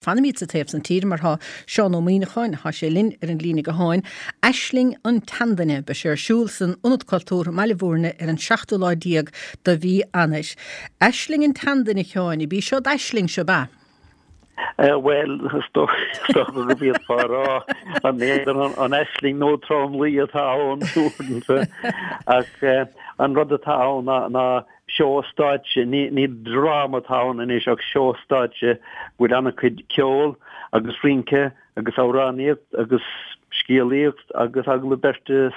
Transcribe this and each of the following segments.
Fanaimid sa taobh san tíre mar tá Seán Ó Muíneacháin, tá sé linn ar an líne gutháin. Aisling an tSeanduine, beidh sé ar siúl san Ionad Cultúrtha i mBaile Bhúirne ar an seachtú lá déag de mhí Eanáir. Aisling an tSeanduine, a Sheáin, ab í seo d'aisling, seo, ab ea? Bhuel, is dócha go bhféadfá a rá an an aisling nó tromluí atá ann uaireanta ach an rud atá ann ná Seó stáitse, ní dráma atá ann anois ach seó stáitse go bhfuil an-chuid ceol agus rince agus amhránaíocht agus scéalaíocht agus agallamh beirte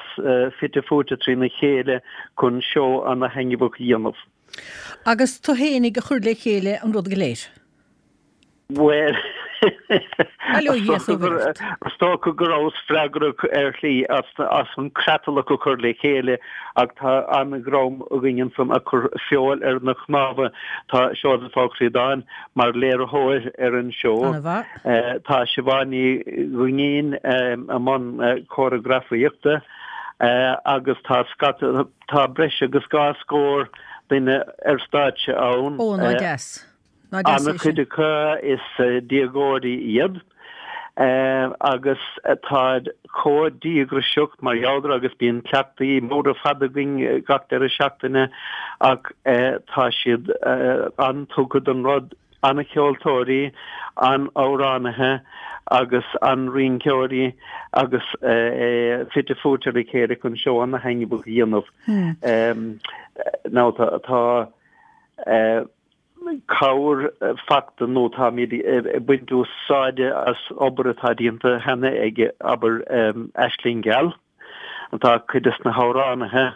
fite fuaite trína chéile chun seó ana-thaitneamhach a dhéanamh. Agus tú fhéinig a chuir le chéile an rud go léir? Bhuel, is dócha go rabhas freagrach ar shlí as an creatlach a chur le chéile ach tá an-dhream againn ansan a chuir feoil ar na cnámha. Tá Seosamh Ó Críodáin mar léiritheoir ar an seó. Tá Siobhán Ní Dhuinnín i mbun córagrafaíochta agus tá scata, tá breis agus dhá scór duine ar stáitse ann. Ó, ná deas. Ná deas é sin. An-chuid acu is déagóirí iad agus táid chomh díograiseach mar gheall air agus bíonn cleachtaí móra fada againn gach deireadh seachtaine ach tá siad an-tugtha don rud, an-cheoltóirí, an-amhránaithe agus an-rinceoirí agus é fite fuaite ar a chéile chun seó an-thaitneamhach a dhéanamh. Now tá cabhair fachta nó táimid ag baint úsáide as obair atá déanta cheana ag, abair, Aisling Gheal. Tá cuid des na hamhránaithe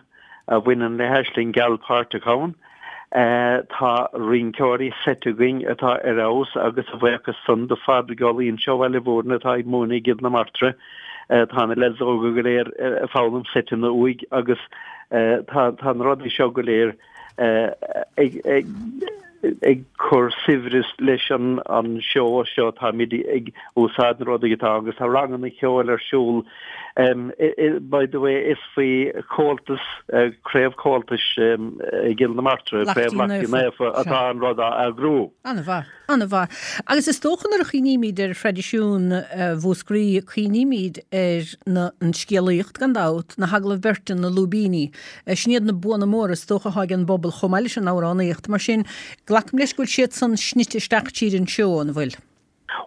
a bhaineann le hAisling Gheal páirteach ann. Tá rinceoirí seit againn atá ar fheabhas agus a bhuíochas san do Phádraig Ó Loingsigh ó Bhaile Bhúirne atá ag múineadh i gCill na Martra. Tá na leaids óga go léir ag foghlaim seiteanna uaidh agus tá na rudaí seo go léir ag cur saibhreas leis an seó seo. Táimid ag úsáid na rudaí atá agus tá ranganna ceoil ar siúl. By the way, is faoi Chomhaltas, Craobh Chomhaltais i gCill na Martra, Craobh Lachtaín Naofa atá an rud á eagrú. An-mhaith. An-mhaith. Agus is dócha nuair a chuimhnímid ar thraidisiún Mhúscraí, cuimhnímid ar na, an scéalaíocht gan dabht, na hagallaimh beirte, na lúibíní. Sin iad na buanna móra is dócha atá ag an bpobal chomh maith leis an amhránaíocht. Mar sin, glacaim leis go bhfuil siad san snite isteach tríd an seó, an bhfuil?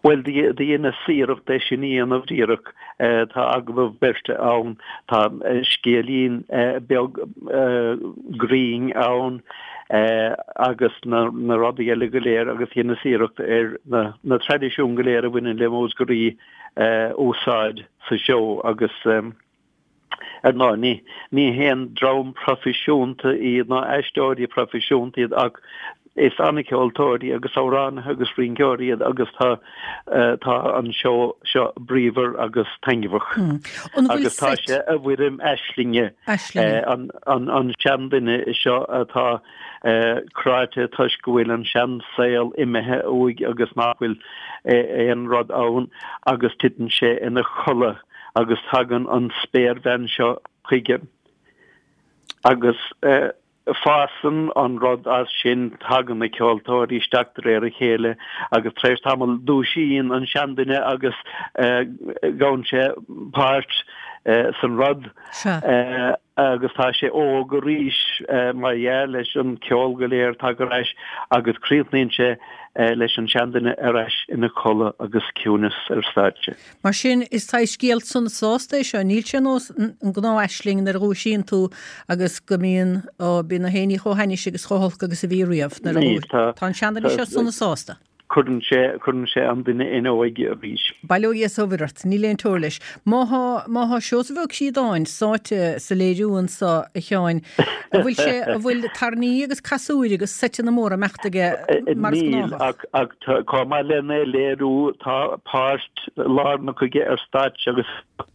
Bhuel, dheineas iarracht é sin a dhéanamh díreach. Tá agallamh beirte ann, tá scéilín beag grinn ann agus na rudaí eile go léir agus dheineas iarracht ar na traidisiúin go léir a bhaineann le Múscraí a úsáid sa seó agus Ar ndóigh, ní haon dream proifisiúnta iad ná aisteoirí proifisiúnta iad ach is an-cheoltóirí agus amhránaithe agus rinceoirí iad agus tá tá an seó seo bríomhar agus taitneamhach. Agus tá sé i bhfoirm aislinge, an seanduine seo atá cráite toisc go bhfuil an seansaol imithe uaidh agus nach bhfuil aon rud ann agus titeann sé ina chodladh. agus tagann an spéirbhean seo chuige agus fásann an rud as sin, tagann na ceoltóirí isteach de réir a chéile agus tar éis tamaill dúisíonn an seanduine agus gabhann sé páirt san rud agus tá sé óg arís mar dhea leis an ceol go léir tagtha ar ais agus críochnaíonn sé leis an seanduine ar ais ina chodladh agus ciúnas ar stáitse. Mar sin, is saghas scéal sona sásta é seo, níl sé ar nós an gnáth-aisling nuair a dhúisíonn tú agus go mbíonn, ó, bíonn na héinní chomh hainnis agus chomh holc agus a bhí riamh nuair a Níl, tá, tá an seanduine seo sona sásta. Cuireann sé, cuireann sé an duine ina óige arís. Bail ó Dhia is ó Mhuire ort, níl aon teora leis. Má thá, má thá Seosamh Ó Críodáin sáite sa léiriú anso, a Sheáin, an bhfuil sé, an bhfuil tairní agus casúir agus seiteanna móra ag imeacht aige mar is Níl, gnáthach? ach, ach chomh maith lena léiriú, tá páirt lárnach aige ar stáitse agus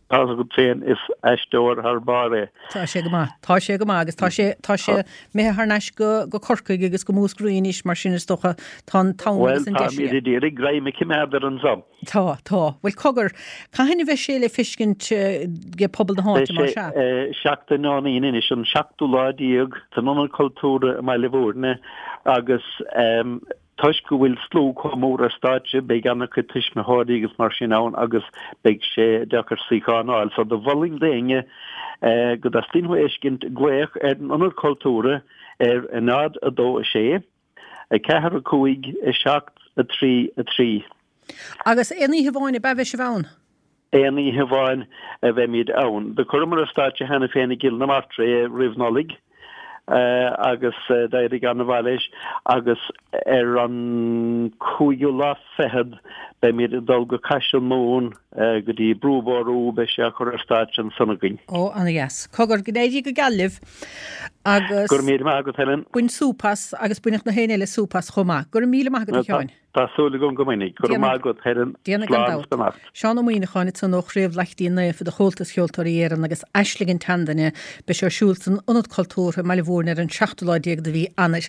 tá a fhios agat féin, is aisteoir thar barr é. Tá sé go maith. Tá sé go maith agus tá sé, tá sé imithe thar n-ais go, go Corcaigh agus go Múscraí anois mar sin is dócha tá an t-am Bhuel, agus an deis táimid aige. ag iarraidh greim a choimeád air anso. Tá, tá. Bhuel, cogar, cathain a bheidh sé le feiscint ag pobal na Beidh háite, más sé ea? seachtain ón Aoine anois, an seachtú lá déag, san Ionad Cultúrtha i mBaile Bhúirne agus. Toisc go bhfuil slua chomh mór ar stáitse, beidh an-chuid tuismitheoirí agus mar sin ann agus beidh sé deacair suíochán a fháil. So do mholfainn d'éinne go dteastaíonn uathu a fheiscint glaoch ar an Ionad Cultúrtha ar 0 2 6 4 5 7 3 3. Agus aon oíche amháin ab ea a bheidh sibh ann? Aon oíche amháin a bheimid ann. Do chuireamar ar stáitse cheana féin i gCill na Martra é roimh Nollaig agus d'éirigh an-mhaith leis agus ar an cúigiú lá fichead beimid ag dul go Caiseal Mumhan go dtí Brú Bórú, beidh sé á chur ar stáitse ansan againn. Ó, ana-dheas. Cogar, go n-éirí go geal libh agus. Go raibh míle maith agat, Helen. Bain súp as agus bainfidh na héinne eile súp as chomh maith. Go raibh míle maith agat, a Sheáin. Tá súil agam go mbainfidh. Go raibh maith agat, Helen. Déanfaidh gan Slán is dabht. beannacht. Seán Ó Muíneacháin ansan ó Chraobh Laichtín Naofa de Chomhaltas Cheoltóirí Éireann agus Aisling an tSeanduine. Beidh sé ar siúl san Ionad Cultúrtha i mBaile Mhúirne ar an seachtú lá déag de mhí Eanáir.